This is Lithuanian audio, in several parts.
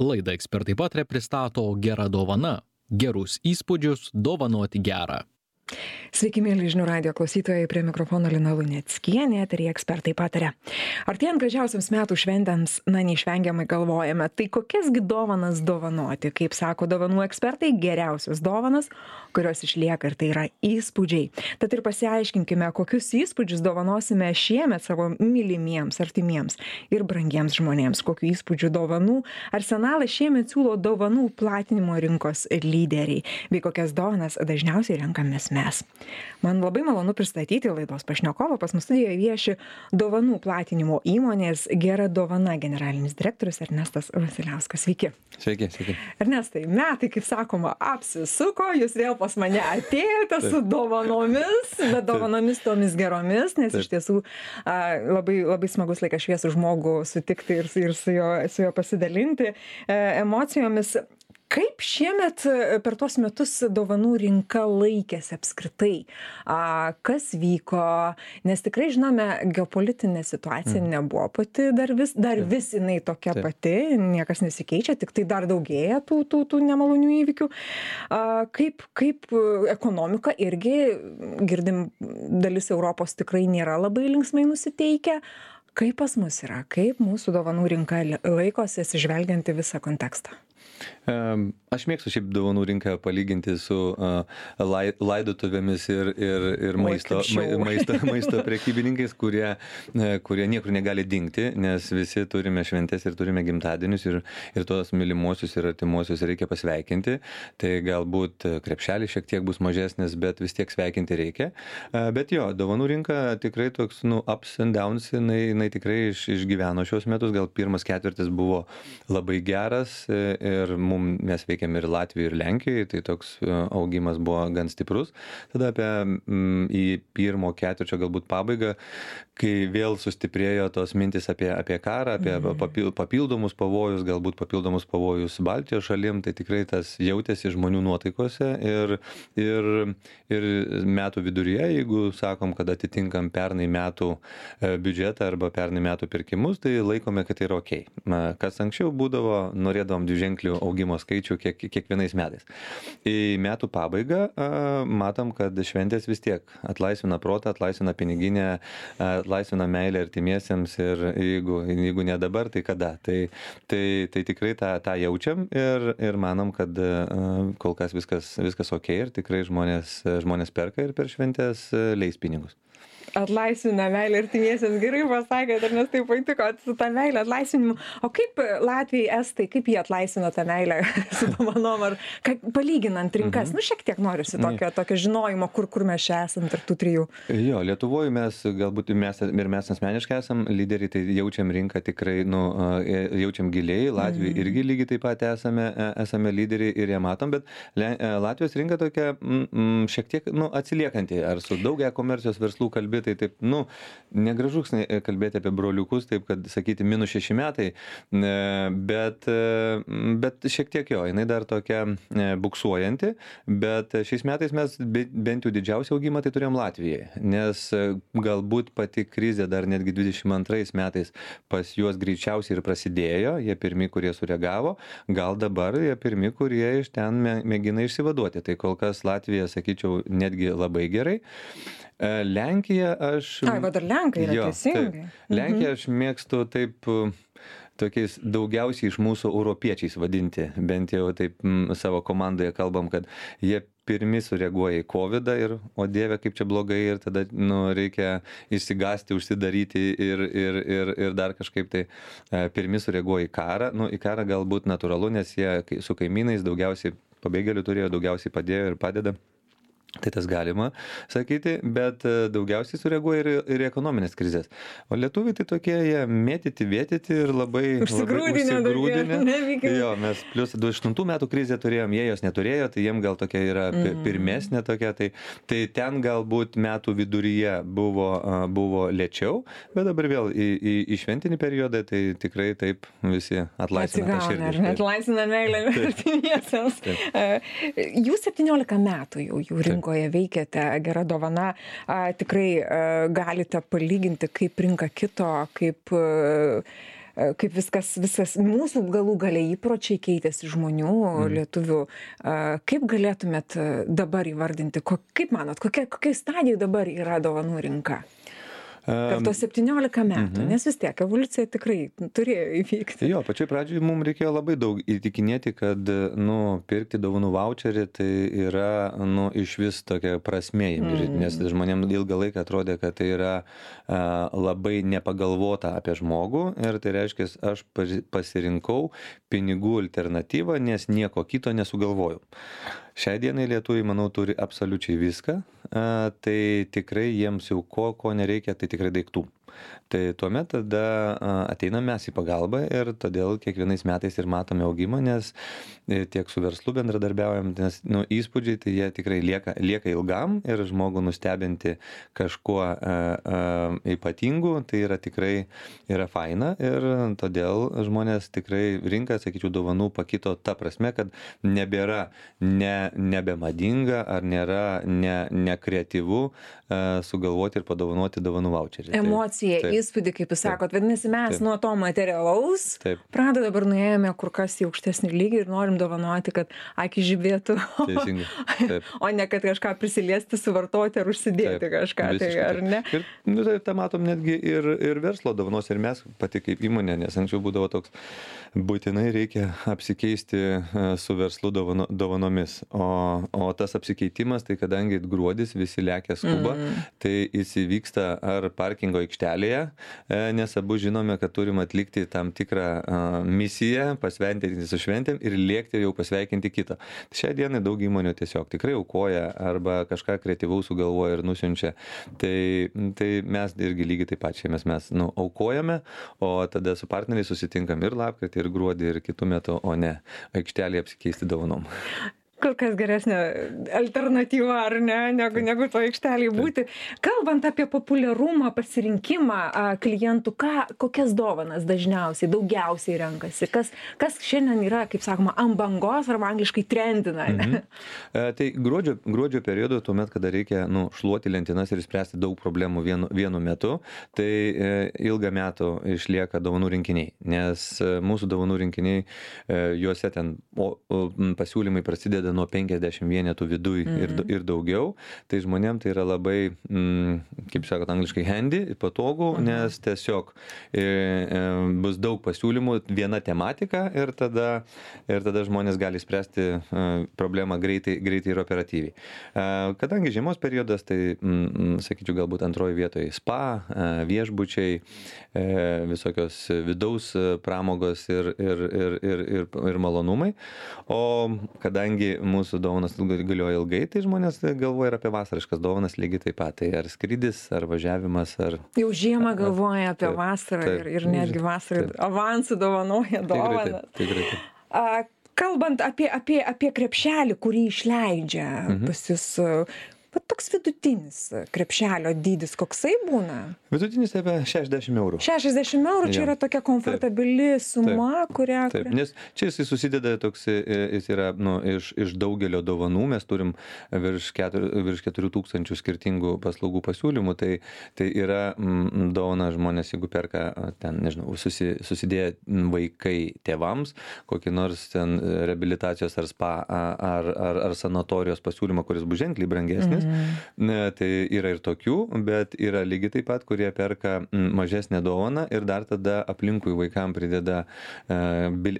Laidą Ekspertai pataria pristato Gera dovana. Gerus įspūdžius dovanoti gerą. Sveiki, mėly žinių radijo klausytojai, prie mikrofono Lina Luneckienė, eteryje Ekspertai pataria. Artėjant gražiausiams metų šventėms, neišvengiamai galvojame, tai kokiasgi dovanas dovanoti. Kaip sako dovanų ekspertai, geriausios dovanas, kurios išlieka, ir tai yra įspūdžiai. Tad ir pasiaiškinkime, kokius įspūdžius dovanosime šiemet savo mylimiems, artimiems ir brangiems žmonėms. Kokių įspūdžių dovanų arsenalą šiemet siūlo dovanų platinimo rinkos lyderiai, bei kokias dovanas dažniausiai renkamės mes. Man labai malonu pristatyti laidos pašnekovą. Pas mus studijoje vieši dovanų platinimo įmonės Gera dovana generalinis direktorius Ernestas Vasiliauskas. Sveiki. Sveiki. Ernestai, metai, kaip sakoma, apsisuko, jūs vėl pas mane atėjote su dovanomis, bet dovanomis tomis geromis, nes iš tiesų labai smagus laikas šviesų žmogų sutikti ir su juo pasidalinti emocijomis. Kaip šiemet per tuos metus dovanų rinka laikėsi apskritai? Kas vyko? Nes tikrai žinome, geopolitinė situacija nebuvo pati dar vis jinai tokia pati, niekas nesikeičia, tik tai dar daugėja tų nemalonių įvykių. Kaip ekonomika irgi, girdim, dalis Europos tikrai nėra labai linksmai nusiteikę. Kaip pas mus yra? Kaip mūsų dovanų rinka laikosi, atsižvelgiant į visą kontekstą? Aš mėgstu šiaip dovanų rinką palyginti su laidotuvėmis ir maisto prekybininkais, kurie niekur negali dingti, nes visi turime šventes ir turime gimtadienius ir tos mylimuosius ir artimuosius reikia pasveikinti. Tai galbūt krepšelis šiek tiek bus mažesnis, bet vis tiek sveikinti reikia. Bet jo, dovanų rinka tikrai toks, ups and downs, jinai tikrai išgyveno šios metus. Gal pirmas ketvirtis buvo labai geras ir mes veikiam ir Latvijoje, ir Lenkijoje, tai toks augimas buvo gan stiprus. Tada į pirmo ketvirčio galbūt pabaigą, kai vėl sustiprėjo tos mintis apie karą, apie papildomus pavojus, galbūt papildomus pavojus Baltijos šalim, tai tikrai tas jautėsi žmonių nuotaikose ir metų viduryje, jeigu sakom, kad atitinkam pernai metų biudžetą arba pernai metų pirkimus, tai laikome, kad tai yra okei. Kas anksčiau būdavo, norėdavom dviženklių augimo skaičių kiekvienais metais. Į metų pabaigą matom, kad šventės vis tiek atlaisvina protą, atlaisvina piniginę, atlaisvina meilę artimiesiems ir jeigu ne dabar, tai kada. Tai tikrai tą jaučiam ir manom, kad kol kas viskas okei ir tikrai žmonės perka ir per šventės leis pinigus. Atlaisvina meilę artimiesiems, gerai pasakėte, nes taip patiko su tą meilę atlaisvinimu. O kaip Latvijai, Estai, kaip jie atlaisvina tą meilę su dovanom, ar palyginant rinkas? Šiek tiek norisi tokio žinojimo, kur mes čia esam tarp tų trijų. Jo, Lietuvoje mes mes asmeniškai esam lyderiai, tai jaučiam rinką tikrai, jaučiam giliai, Latvijoje irgi lygiai taip pat esame lyderiai ir ją matom, bet Latvijos rinka tokia šiek tiek atsiliekanti, ar su daug e-komercijos verslų kalbėti, tai taip, negražu kalbėti apie broliukus, taip, kad sakyti -6 metai, bet šiek tiek jo, jinai dar tokia buksuojanti, bet šiais metais mes bent jau didžiausią augimą tai turėjom Latvijoje, nes galbūt pati krizė dar netgi 22 metais pas juos greičiausiai ir prasidėjo, jie pirmi, kurie sureagavo, gal dabar jie pirmi, kurie iš ten mėgina išsivaduoti, tai kol kas Latvija, sakyčiau, netgi labai gerai. Lenkija aš... Dar Lenkai yra teisingai. Lenkiją aš mėgstu taip tokiais daugiausiai iš mūsų europiečiais vadinti, bent jau taip savo komandoje kalbam, kad jie pirmi sureaguoja į COVID ir, o Dieve, kaip čia blogai, ir tada reikia išsigąsti, užsidaryti ir dar kažkaip tai pirmi sureaguoja į karą. Į karą galbūt natūralu, nes jie su kaimynais daugiausiai pabėgėlių turėjo, daugiausiai padėjo ir padeda. Tai tas galima sakyti, bet daugiausiai sureaguoja ir ekonominės krizės. O lietuviai tai tokie, jie mėtyti, vėtyti ir labai užsigrūdinę. Jo, mes plius 28 metų krizę turėjom, jie jos neturėjo, tai jiem gal tokia yra pirmesnė tokia, tai ten galbūt metų viduryje buvo lėčiau, bet dabar vėl į šventinį periodą, tai tikrai taip visi atlaisvina tą širdį. Atlaisvina meilę artimiesiems. Jūs 17 metų jau rinkoje veikiate, Gera dovana, tikrai galite palyginti, kaip rinka kito, kaip kaip viskas mūsų galų gale įpročiai keitėsi žmonių, lietuvių. Kaip galėtumėt dabar įvardinti, kaip manot, kokia stadija dabar yra dovanų rinka? Per tos 17 metų, nes vis tiek evoliucija tikrai turėjo įvykti. Jo, pačioj pradžioj mums reikėjo labai daug įtikinėti, kad, pirkti dovanų vaučerį tai yra, iš vis tokia prasmė, nes žmonėms ilgą laiką atrodė, kad tai yra labai nepagalvota apie žmogų ir tai reiškia, aš pasirinkau pinigų alternatyvą, nes nieko kito nesugalvojau. Šiai dienai lietuviai, manau, turi absoliučiai viską, tai tikrai jiems jau ko nereikia, tai tikrai daiktų. Tai tuomet tada ateinam mes į pagalbą ir todėl kiekvienais metais ir matome augimą, nes tiek su verslu bendradarbiaujam, nes įspūdžiai tai jie tikrai lieka ilgam ir žmogų nustebinti kažkuo ypatingu, tai yra tikrai yra faina ir todėl žmonės tikrai rinka, sakyčiau, dovanų pakito ta prasme, kad nebėra nebemadinga ar nėra nekreatyvu sugalvoti ir padovanoti dovanų vaučerį. Emocija, įspūdį, kaip jūs sakot, vadinasi, mes nuo to materialaus pradeda dabar nuėjome kur kas į aukštesnį lygį ir norim dovanoti, kad akis žibėtų, o ne kad kažką prisiliesti, suvartoti ar užsidėti kažką, tai ar ne? Ir tai tą matom netgi ir verslo dovanos, ir mes pati kaip įmonė, nes anksčiau būdavo toks, būtinai reikia apsikeisti su verslu dovanomis, o tas apsikeitimas, tai kadangi gruodis, visi lekia skuba, tai jis įvyksta ar parkingo aikštelėje, nes abu žinome, kad turim atlikti tam tikrą misiją, pasveikinti su šventėm ir lėkti jau pasveikinti kitą. Šią dieną daug įmonių tiesiog tikrai aukoja arba kažką kreatyvaus sugalvoja ir nusiunčia. Tai mes irgi lygiai taip pat šiemet mes aukojame, o tada su partneriais susitinkam ir lapkritį, ir gruodį, ir kitų metų, o ne aikštelėje apsikeisti dovanom. Kur kas geresnė alternatyva, ar ne, negu to aikštelėje būti. Kalbant apie populiarumą, pasirinkimą klientų, kokias dovanas dažniausiai, daugiausiai renkasi? Kas šiandien yra, kaip sakoma, ant bangos arba angliškai trendina? Tai gruodžio periodu, tuomet, kada reikia šluoti lentynas ir spręsti daug problemų vienu metu, tai ilgą metų išlieka dovanų rinkiniai, nes mūsų dovanų rinkiniai, juose ten pasiūlymai prasideda nuo 50 vienetų viduj ir daugiau, tai žmonėm tai yra labai, kaip sakot, angliškai handy, patogu, nes tiesiog bus daug pasiūlymų, viena tematika ir tada žmonės gali spręsti problemą greitai ir operatyviai. Kadangi žiemos periodas, tai, sakyčiau, galbūt antroji vietoje spa, viešbučiai, visokios vidaus pramogos ir malonumai, o kadangi mūsų dovanas galioja ilgai, tai žmonės galvoja ir apie vasariškas dovanas lygiai taip pat. Tai ar skrydis, ar važiavimas, ar... Jau žiemą galvoja apie vasarą ir netgi vasarą avansų dovanoja dovanas. Tikrai. Kalbant apie krepšelį, kurį išleidžia pas jūs, toks vidutinis krepšelio dydis, koksai būna? Vidutinis apie 60 eurų. 60 eurų, čia yra tokia komfortabili suma, kurią... Taip, nes čia jisai susideda toks, jis yra iš daugelio dovanų, mes turim virš 4000 skirtingų paslaugų pasiūlymų, tai yra dovana žmonės, jeigu perka ten, nežinau, susidėję vaikai tėvams, kokį nors ten reabilitacijos ar spa ar sanatorijos pasiūlymą, kuris bus ženkliai brangesnis. Tai yra ir tokių, bet yra lygiai taip pat, kurie perka mažesnę dovaną ir dar tada aplinkui vaikam prideda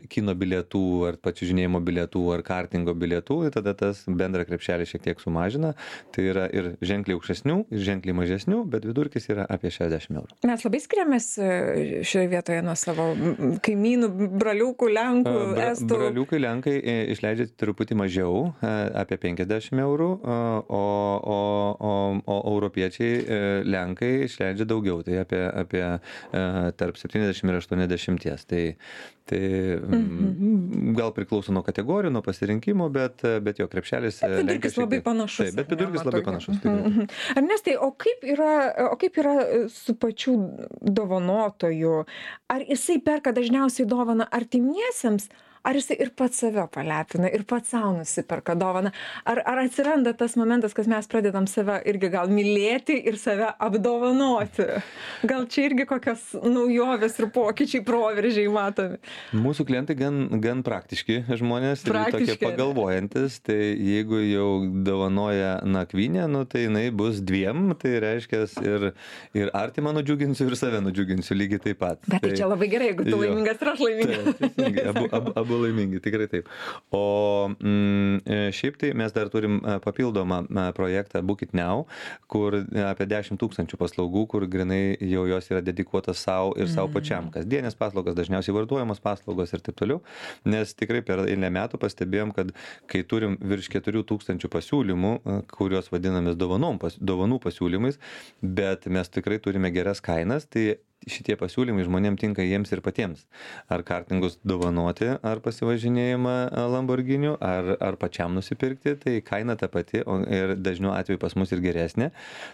kino bilietų ar pačiužinėjimo bilietų ar kartingo bilietų ir tada tas bendrą krepšelį šiek tiek sumažina. Tai yra ir ženkliai aukštesnių, ir ženkliai mažesnių, bet vidurkis yra apie 60 eurų. Mes labai skiriamės šioje vietoje nuo savo kaimynų, braliukų, lenkų, estų. Braliukai, lenkai išleidžia truputį mažiau, apie 50 eurų, o europiečiai, lenkai išleidžia daugiau, tai apie tarp 70 ir 80. Tai gal priklauso nuo kategorijų, nuo pasirinkimo, bet jo krepšelis... Vidurkis labai panašus. Taip, bet vidurkis labai panašus. Ernestai, o kaip yra su pačiu dovanotoju? Ar jisai perka dažniausiai dovaną artimiesiems, ar jisai ir pats save palepina, ir pats savo nusiperka dovaną? Ar atsiranda tas momentas, kad mes pradedam save irgi gal mylėti ir save apdovanoti? Gal čia irgi kokios naujovės ir pokyčiai, proveržiai matomi? Mūsų klientai gan praktiški žmonės ir tokie pagalvojantis, tai jeigu jau dovanoja nakvynę, nu, tai jinai bus dviem, tai reiškia ir artimą nudžiuginsiu, ir save nudžiuginsiu lygiai taip pat. Bet tai čia labai gerai, jeigu tu laimingas ir aš laimingas. Abu laimingi, tikrai taip. O šiaip tai mes dar turim papildomą projektą Book It Now, kur apie 10 000 paslaugų, kur grinai jau jos yra dedikuotas savo ir savo pačiam. Kasdienės paslaugos, dažniausiai vartojamos paslaugos ir taip toliau. Nes tikrai per eilę metų pastebėjom, kad kai turim virš 4 000 pasiūlymų, kuriuos vadiname dovanų pasiūlymais, bet mes tikrai turime geras kainas, tai šitie pasiūlymai žmonėms tinka jiems ir patiems. Ar kartingus dovanoti, ar pasivažinėjimą Lamborghiniu, ar pačiam nusipirkti, tai kaina ta pati ir dažniau atveju pas mus ir geresnė.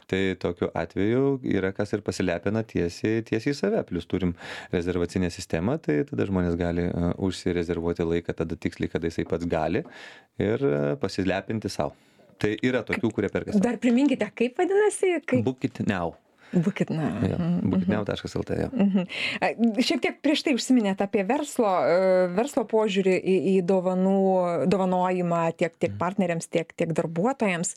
Tai tokiu atveju yra kas ir pasilepina tiesiai į save. Plius turim rezervacinę sistemą, tai tada žmonės gali užsirezervuoti laiką tada tiksliai, kada jisai pats gali ir pasilepinti savo. Tai yra tokių, kurie perka savo. Dar priminkite, kaip vadinasi? Book It Now. Bookitnow.lt. Ja, Šiek tiek prieš tai užsiminėt apie verslo požiūrį į dovanojimą tiek partneriams, tiek darbuotojams.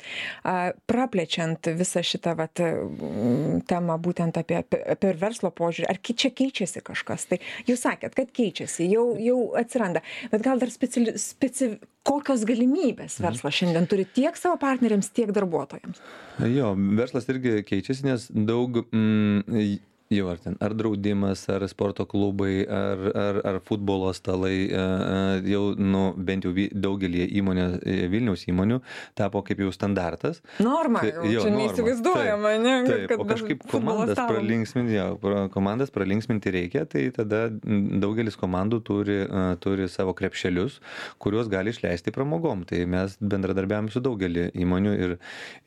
Praplečiant visą šitą temą būtent apie verslo požiūrį, ar čia keičiasi kažkas? Tai jūs sakėt, kad keičiasi, jau atsiranda, bet gal dar kokios galimybės verslas šiandien turi tiek savo partneriams, tiek darbuotojams? Jo, verslas irgi keičiasi, nes daug jau ar draudimas, ar sporto klubai, ar futbolo stalai, jau bent jau daugelį Vilniaus įmonių tapo kaip jau standartas. Norma, čia neįsivaizduojama, ne? Taip, o kažkaip komandas pralinksminti reikia, tai tada daugelis komandų turi savo krepšelius, kuriuos gali išleisti pramogom. Tai mes bendradarbiavame su daugelį įmonių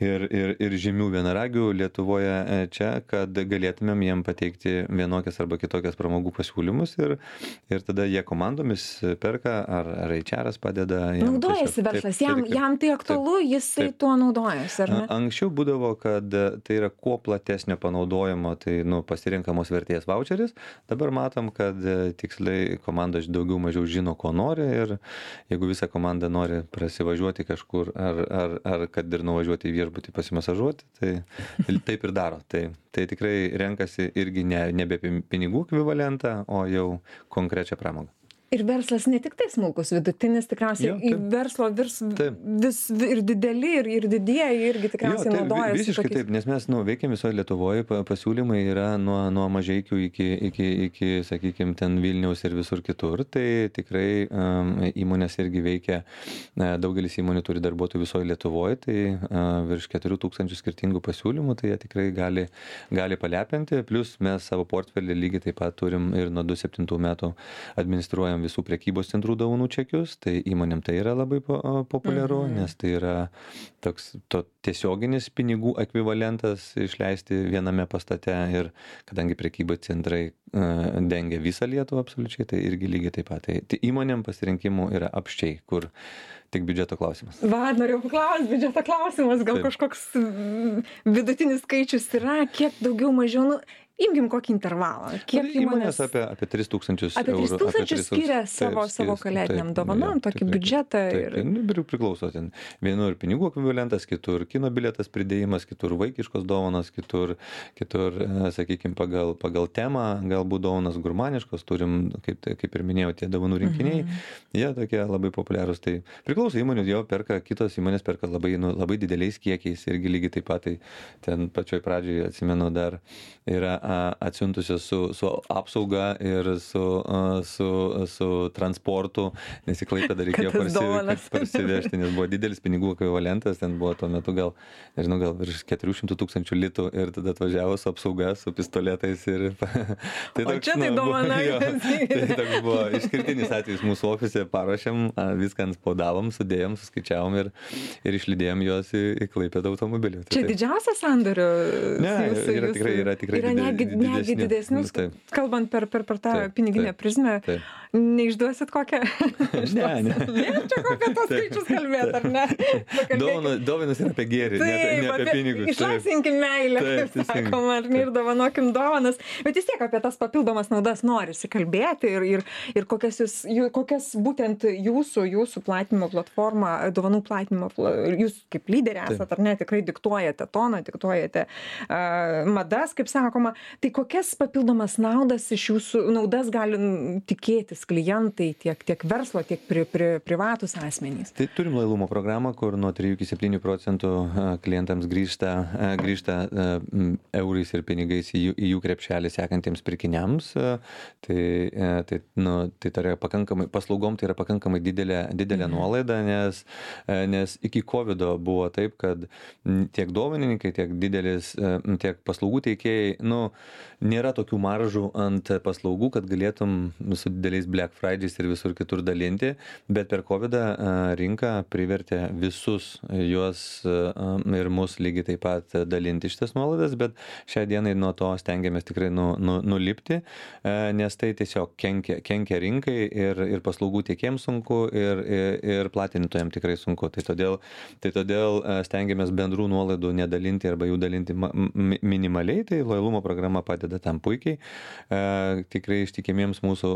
ir žymių vienaragių Lietuvoje čia, kad galėtumėm jiem pateikti vienokias arba kitokias pramogų pasiūlymus ir tada jie komandomis perka, ar HR'as padeda. Naudojasi verslas, jam tai aktualu, jisai tuo naudojasi, ar ne? Anksčiau būdavo, kad tai yra kuo platesnio panaudojimo, tai pasirinkamos vertės voucheris. Dabar matom, kad tiksliai komandos daugiau mažiau žino, ko nori ir jeigu visa komanda nori prasivažiuoti kažkur ar kad ir nuvažiuoti į viešbutį pasimasažuoti, tai taip ir daro. Tai tikrai renkasi irgi nebe pinigų ekvivalentą, o jau konkrečią pramogą. Ir verslas ne tik tai smulkus, vidutinis, tikriausiai verslo vis ir dideli, ir didieji irgi tikriausiai naudojasi. Visiškai taip, nes mes veikiam visoje Lietuvoje, pasiūlymai yra nuo mažeikių iki, sakykime, ten Vilniaus ir visur kitur. Tai tikrai įmonės irgi veikia, daugelis įmonių turi darbuotojų visoje Lietuvoje, tai virš 4 000 skirtingų pasiūlymų, tai jie tikrai gali palepinti. Plus mes savo portfelį lygiai taip pat turim ir nuo 2007 metų administruojam visų prekybos centrų dovanų čekius, tai įmonėm tai yra labai populiaru, nes tai yra toks tiesioginis pinigų ekvivalentas išleisti viename pastate ir kadangi prekybos centrai dengia visą Lietuvą absoliučiai, tai irgi lygiai taip pat. Tai įmonėm pasirinkimų yra apščiai, kur tik biudžeto klausimas. Norėjau paklausti, biudžeto klausimas, gal kažkoks vidutinis skaičius yra, kiek daugiau mažiau, imkim kokį intervalą. Kiek įmonės apie 3 000 eurų. Apie 3 000 skiria savo kalėdiniam dovanom, tokį biudžetą. Ir priklauso ten. Vienur pinigų ekvivalentas, kitur kino bilietas pridėjimas, kitur vaikiškos dovanos, kitur sakykime, pagal temą, galbūt dovanas gurmaniškos, turim, kaip ir minėjau, tie dovanų rinkiniai, jie tokie labai populiarūs. Tai priklauso įmonių, jo perka, kitos įmonės perka labai dideliais kiekiais irgi lygiai taip pat. Tai ten pačioj pradžioj, atsimenu, dar yra atsiuntusios su apsauga ir su transportu, nes į Klaipėdą reikėjo parsivežti, nes buvo didelis pinigų ekvivalentas, ten buvo tuo metu gal virš 400 000 litų ir tada atvažiavo su apsauga, su pistoletais ir... O čia tai dovana. Tai toks buvo išskirtinis atvejis mūsų ofise, paruošėm, viską anspaudavom, sudėjom, suskaičiavom ir išlydėjom juos į Klaipėdą automobilį. Čia didžiausias sandorio? Ne, yra tikrai netgi didesnius, kalbant per tą piniginę prizmę. Neišduosit kokią? Ne. Čia apie tos skaičius kalbėt, ar ne? Dovanas yra apie gėrį, ne apie pinigus. Išlaisvinkim meilę, kaip sakoma, ar ne, ir dovanokim dovanas. Bet vis tiek apie tas papildomas naudas norisi kalbėti ir kokias būtent jūsų platinimo platforma, dovanų platinimo, jūs kaip lyderė esat, ar ne, tikrai diktuojate toną, diktuojate madas, kaip sakoma. Tai kokias papildomas naudas gali tikėtis klientai, tiek verslo, tiek privatus asmenys? Tai turim lojalumo programą, kur nuo 3 iki 7% klientams grįžta eurais ir pinigais į jų krepšelį sekantiems pirkiniams. Tai yra pakankamai, paslaugom tai yra pakankamai didelė nuolaida, nes iki COVID buvo taip, kad tiek dovanininkai, tiek paslaugų teikėjai, nėra tokių maržų ant paslaugų, kad galėtum su dideliais Black Fridays ir visur kitur dalinti, bet per COVID rinka privertė visus juos ir mus lygiai taip pat dalinti šitas nuolaidas, bet šią dieną nuo to stengiamės tikrai nulipti, nes tai tiesiog kenkia rinkai ir paslaugų tiekėjams sunku ir platintojams tikrai sunku. Tai todėl stengiamės bendrų nuolaidų nedalinti arba jų dalinti minimaliai, tai lojalumo programa padeda tam puikiai, tikrai ištikimiems mūsų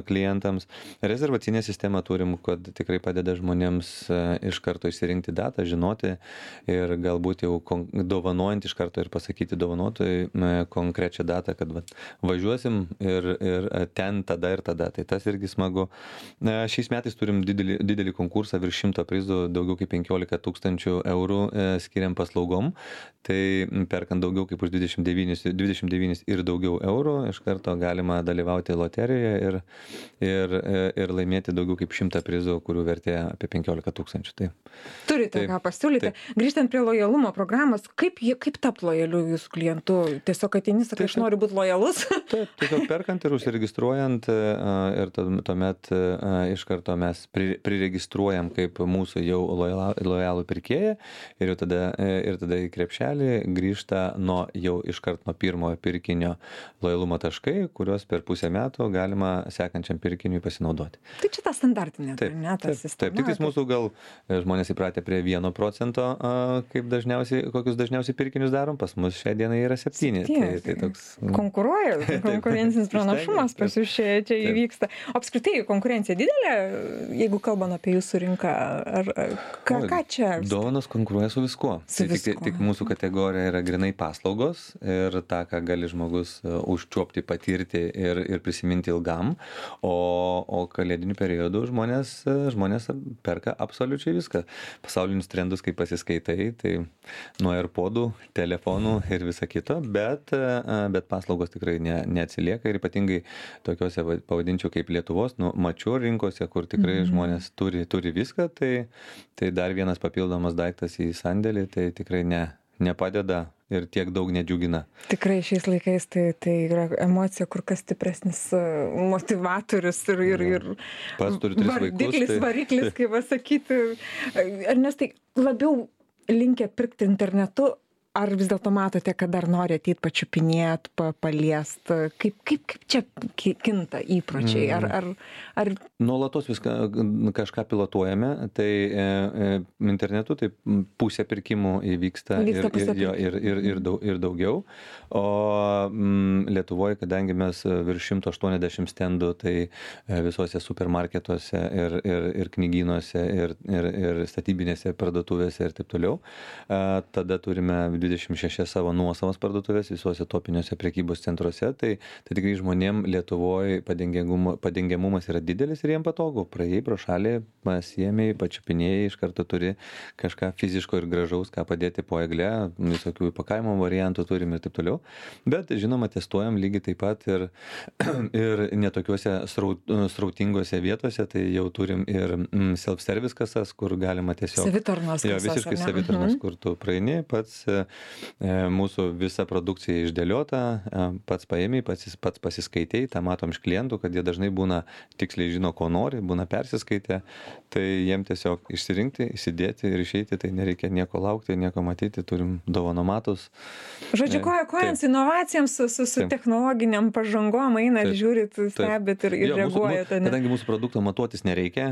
klientams. Rezervacinę sistemą turim, kad tikrai padeda žmonėms iš karto išsirinkti datą, žinoti ir galbūt jau dovanojant iš karto ir pasakyti dovanotojui konkrečią datą, kad važiuosim ir ten tada ir tada. Tai tas irgi smagu. Šiais metais turim didelį konkursą virš 100 prizų, daugiau kaip 15 000 eurų skiriam paslaugom. Tai perkant daugiau kaip už 29 ir daugiau eurų, iš karto galima dalyvauti loterijoje ir laimėti daugiau kaip 100 prizų, kurių vertė apie 15 000. Tai. Turite ką pasiūlyti. Grįžtant prie lojalumo programos, kaip tapti lojaliu jūsų klientu? Tiesiog ateini, sakai, aš noriu būti lojalus? Taip, tiesiog perkant ir užsiregistruojant ir tuomet iš karto mes priregistruojam kaip mūsų jau lojalų pirkėją ir tada į krepšelį grįžta jau iškart nuo pirmojo pirkinio lojalumo taškai, kuriuos per pusę metų galima sekančiam pirkiniui pasinaudoti. Tai čia ta standartinė, ta sistema. Taip, tik mūsų gal žmonės įpratę prie 1%, kokius dažniausiai pirkinius darom, pas mus šią dieną yra 7. Tai toks... Konkuruoja, konkurencinis pranašumas pas jūs čia įvyksta. Apskritai, konkurencija didelė, jeigu kalbam apie jūsų rinką, ką čia? Dovanos konkuruoja su viskuo. Tik mūsų kategorija yra grynai paslaugos ir tą, ką gali žmogus užčiuopti, patirti ir prisiminti ilgam, o kalėdiniu periodu žmonės perka absoliučiai viską. Pasaulinius trendus, kai pasiskaitai, tai nuo AirPodų, telefonų ir visa kito, bet paslaugos tikrai neatsilieka ir ypatingai tokiuose, pavadinčiau, kaip Lietuvos, mačių rinkose, kur tikrai žmonės turi viską, tai dar vienas papildomas daiktas į sandėlį, tai tikrai nepadeda ir tiek daug nedžiugina. Tikrai šiais laikais tai yra emocija kur kas stipresnis motivatorius ir pats turiu 3 vaikus. Variklis, kaip pasakyti. Ernestai, labiau linkę pirkti internetu, ar vis dėlto matote, kad dar nori ateit pačiupinėt, paliest? Kaip čia kinta įpročiai? Ar... Nuolatos kažką pilotuojame, tai internetu tai pusė pirkimų įvyksta ir daugiau. O Lietuvoje, kadangi mes virš 180 stendų, tai visuose supermarketuose ir knygynuose ir statybinėse parduotuvėse ir taip toliau, tada turime 26 savo nuosavas parduotuvės visuose topiniuose prekybos centruose, tai tikrai žmonėm Lietuvoje padengiamumas yra didelis ir jiem patogu. Praėjai pro šalį, pasiėmei, pačiupinėjai, iš karto turi kažką fiziško ir gražaus, ką padėti po egle, visokių įpakavimo variantų turim ir taip toliau. Bet žinoma, testuojam lygiai taip pat ir netokiuose srautingose vietose, tai jau turim ir self-service kasas, kur galima tiesiog... Savitarnos kasas, visiškai savitarnos, kur tu praeini, pats mūsų visa produkcija išdėliota, pats paėmė, pats pasiskaitėjai, tą matom iš klientų, kad jie dažnai būna tiksliai žino, ko nori, būna persiskaitę, tai jiem tiesiog išsirinkti, įsidėti ir išeiti, tai nereikia nieko laukti, nieko matyti, turim dovanomatus. Žodžiu, kojant su inovacijams, su technologiniam pažangom einat, žiūrit, stebit ir reaguojate. Kadangi mūsų produkto matuotis nereikia,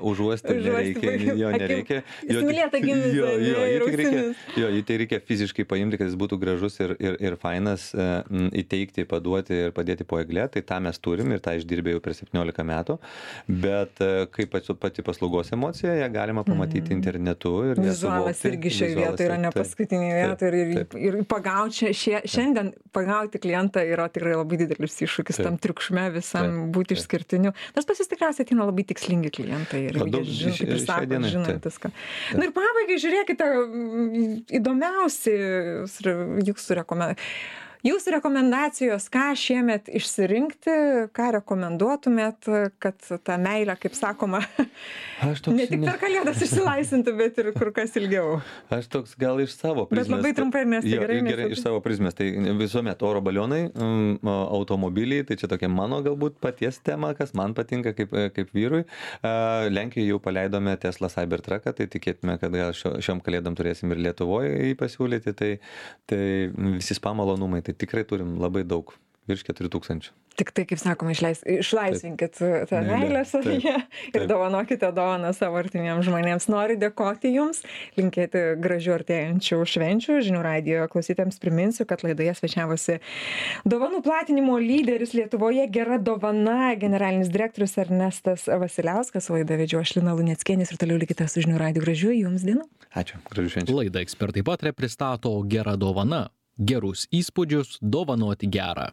užuosti nereikia, jo nereikia. Įsimylėta gimis, jį tai reikia fiziškai paimti, kad jis būtų gražus ir fainas, įteikti, paduoti ir padėti po egle, tai tą mes turim ir tą išdirbė jau per 17 metų, bet kaip pati paslaugos emocija, ją galima pamatyti internetu ir vizualas irgi šioje vietoje yra ne paskutinė vieta ir šiandien pagauti klientą yra tikrai labai didelis iššūkis tam triukšme visam būti išskirtiniu, nors pas jūs tikriausiai ateina labai tikslingi klientai ir žinant viską. Na ir pabaigai žiūrėkite, įdomiausi jūsų rekomendacijos, ką šiemet išsirinkti, ką rekomenduotumėt, kad ta meilė, kaip sakoma, ne tik per Kalėdas išsilaisintų, bet ir kur kas ilgiau. Aš toks gal iš savo prizmės. Bet labai trumpai, nes tai gerai iš savo prizmės. Tai visuomet oro balionai, automobiliai, tai čia tokia mano galbūt paties tema, kas man patinka kaip vyrui. Lenkijoje jau paleidome Tesla Cybertrucką, tai tikėtume, kad gal šiom Kalėdom turėsim ir Lietuvoje jį pasiūlyti, tai visi spa malonumai. Tai tikrai turim labai daug, virš 4000. Tik tai, kaip sakoma, išlaisvinkit tą meilę savyje ir dovanokite dovaną savo artimiems žmonėms. Noriu dėkoti Jums, linkėti gražių artėjančių švenčių. Žinių radijo klausytėms priminsiu, kad laidoje svečiavosi dovanų platinimo lyderis Lietuvoje Gera dovana, generalinis direktorius Ernestas Vasiliauskas. Laidą vedžiau aš Lina Luneckienė ir toliau likite su Žinių radiju. Gražių Jums dienų. Ačiū, gražių švenčių. Laidą Ekspertai pataria pristato Gera dovana. Gerus įspūdžius dovanoti gerą.